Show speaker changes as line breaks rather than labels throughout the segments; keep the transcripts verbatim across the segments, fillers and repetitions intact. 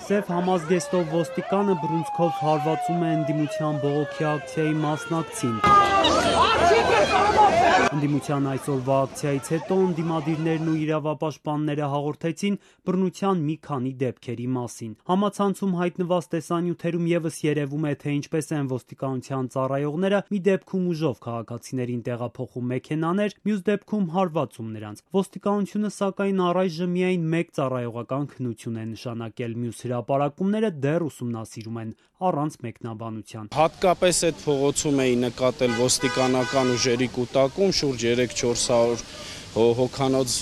Սև համազգեստով ոստիկանը բռունցքով հարվածում է ընդդիմության բողոքի ակցիայի մասնակցին։ Ընդդիմության այսօրվա ակցիայից հետո ընդդիմադիրներն ու իրավապաշտպանները հաղորդեցին բռնության մի քանի դեպքերի մասին։ Համացանցում հայտնված տեսանյութերում ևս երևում է, թե ինչպես են ոստիկանության ծառայողները մի դեպքում ուժով քաղաքացիներին տեղափոխում մեքենաներ, մյուս դեպքում հարվածում նրանց։ Ոստիկանությունը սակայն առայժմ միայն մեկ ծառայողական քննություն է նշանակել, մյուս հրապարակումները դեռ ուսումնասիրում են առանց մեկնաբանության։
Հատկապես այդ փողոցում էի նկատել ոստիկանական ուժերի կուտակում, շուրջ երեք-չորս հարյուր հոգանոց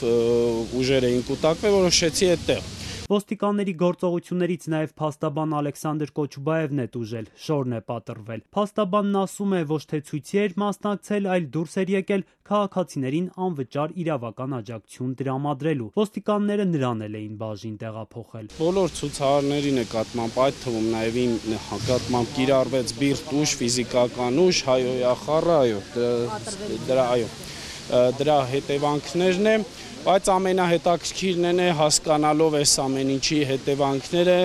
ուժեր էին կուտակվել, որոշեցի այդտեղ։
Ոստիկանների գործողություններից նաև փաստաբան Ալեքսանդր Կոչուբաևն է տուժել, շորն է պատռվել։ Փաստաբանն ասում է, ոչ թե ցույցի էր մասնակցել, այլ դուրս էր եկել քաղաքացիներին անվճար իրավական աջակցություն տրամադրելու։ Ոստիկանները նրան էլ էին բաժին տեղափոխել։
Բոլոր ցուցարարների նկատմամբ, այդ թվում նաև իմ նկատմամբ կիրառվեց բիրտ ուժ, ֆիզիկական ուժ, հայոյախառը, այո, դրա այո, դրա հետևանքներն է, բայց ամենահետաքրքիրն է հասկանալով այս ամեն ինչի հետևանքները,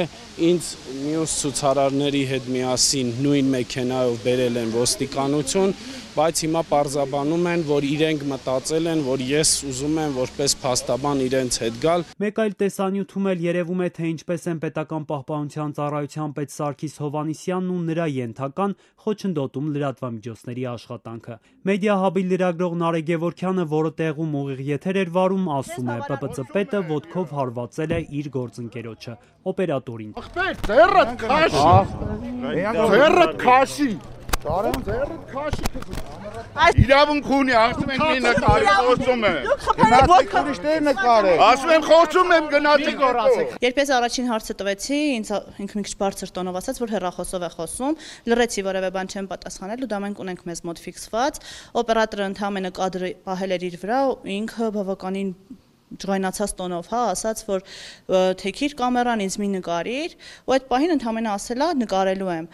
ինձ մյուս ցուցարարների հետ միասին նույն մեքենայով բերել են ոստիկանություն, բայց հիմա պարզաբանում են, որ իրենք մտածել են, որ ես ուզում եմ որպես փաստաբան իրենց հետ գալ։
Մեկ այլ տեսանյութում էլ երևում է, թե ինչպես են պետական պահպանության ծառայության պետ Սարգիս Հովհաննիսյանն ու նրա ենթական խոչընդոտում լրատվամիջոցների աշխատանքը։ Մեդիահաբի լրագրող Նարեկ Գևորգյանը, որը տեղում ուղիղ եթեր էր վարում, ասում է, Պ Պ Ծ պետը ոտքով հարվածել է իր գործընկերոջը, օպերատորին։
Ձեռդ քաշի։ Ձեռդ քաշի։ Իրավունք ունի, ասում ենք մի նկարի, խոսում է։ Գնացեք ուրիշներ նկարեք։ Ասում եմ խոսում եմ, գնացեք գործեք։
Երբ ես առաջին հարցը տվեցի, ինձ ինքը մի քիչ բարձր տոնով ասաց, որ հեռախոսով է խոսում, լռեցի, որևէ բան չեմ պատասխանել ու դա մենք ունենք մեզ մոտ ֆիքսված։ Օպերատորը ընդհանրապես կադրը պահել էր իր վրա, ինքը բավականին ջղայնացած տոնով, հա, ասաց, որ թեքիր կամերան, ինձ մի նկարիր, ու այդ պահին ընդհանրապես ասելա նկարելու եմ։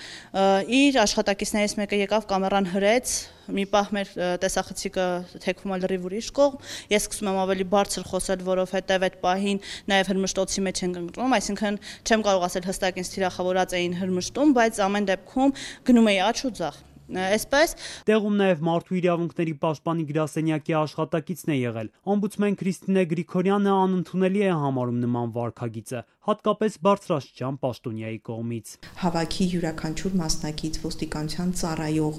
Իր աշխատակիցներից մեկը եկավ կամերան հրեց, մի պահ մեր տեսախցիկը թեքվում է լրիվ ուրիշ կողմ, ես սկսում եմ ավելի բարձր խոսել, որովհետև այդ պահին նաև հրմշտոցի մեջ ենք ընկնում, այսինքն չեմ կարող ասել հստակ ինձ թիրախավորած էին հրմշտում, բայց ամեն դեպքում գնում էի աջ ու ձախ։ Այսպես
տեղում նաև մարդու իրավունքների պաշտպանի գրասենյակի աշխատակիցն է եղել։ Օմբուդսմեն Քրիստինե Գրիգորյանը անընդունելի է համարում նման վարքագիծը, հատկապես բարձրաստիճան պաշտոնյայի կողմից։
Հավաքի յուրաքանչյուր մասնակից ոստիկանության ծառայող,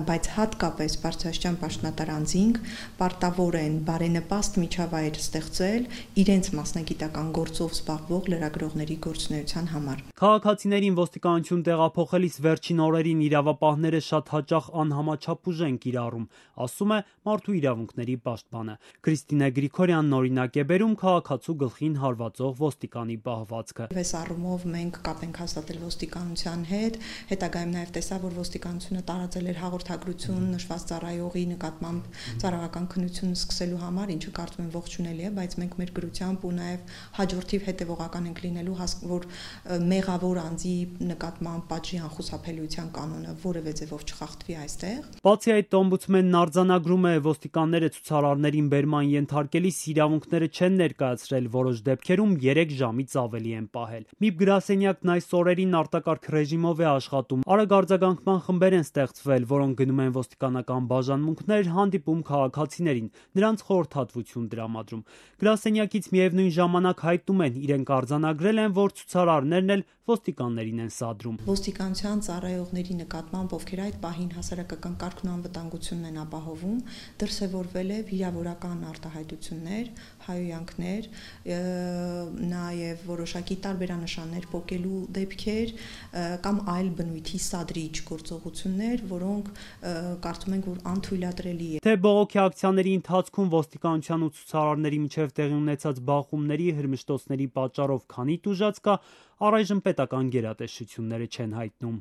բայց հատկապես բարձրաստիճան պաշտոնատար անձինք պարտավոր են բարենպաստ միջավայր ստեղծել իրենց մասնագիտական գործով զբաղվող լրագրողների գործունեության համար։
Քաղաքացիներին ոստիկանություն տեղափոխելիս վերջին օրերին իրավապահները շատ հաճախ անհամաչափ ուժ են կիրառում, ասում է մարդու իրավունքների պաշտպանը։ Քրիստինե Գրիգորյանն օրինակ է բերում քաղաքացու գլխին հարվածող ոստիկանի պահվածքը։
Այս առումով մենք կապ ենք հաստատել ոստիկանության հետ, հետագայում նաև տեսա, որ ոստիկանությունը տարածել էր հաղորդագրություն նշված ծառայողի նկատմամբ ծառայական քննություն սկսելու համար, ինչը կարծում եմ ողջունելի է, բայց մենք մեր գրությամբ ու նաև հաջորդիվ հետևողական ենք լինելու, որ մեղավոր անձի նկատմամբ պատժի անխուսափելիության կանոնը որևէ ձևով չխախտվի այստեղ։
Բացի այդ, օմբուդսմենն արձանագրում է, ոստիկանները ցուցարարներին բերման ենթարկելիս իրավունքները չեն ներկայացրել, որոշ դեպքերում երեք ժամից ավելի են պահել։ Միբ գրասենյակն այս օրերին արտակարգ ռեժիմով է աշխատում։ Արագ արձագանքման խմբեր են ստեղծվել, որոնք գնում են ոստիկանական բաժանմունքներ, հանդիպում քաղաքացիներին, նրանց խորհրդատվություն տրամադրում։ Գրասենյակից միևնույն ժամանակ հայտնում են, իրենք արձանագրել են, որ ցուցարարներն էլ ոստիկաններին են սադրում։
Ոստիկանության ծառայողների նկատմամբ, ովքեր այդ պահին հասարակական կարգն ու անվտանգությունն են ապահովում, դրսևորվել է վիրավորական արտահայտություններ, հայոյանքներ, նաև որոշակի տարբերանշաններ պոկելու դեպքեր կամ այլ բնույթի սադրիչ գործողություններ, որոնք կարծում ենք, որ անթույլատրելի է։
Թե բողոքի ակցիաների ընթացքում ոստիկանության ու ցուցարարների միջև տեղի ունեցած բախումների, հրմշտոցների պատճառով քանի տուժած կա, առայժմ պետական գերատեսչությունները չեն հայտնում։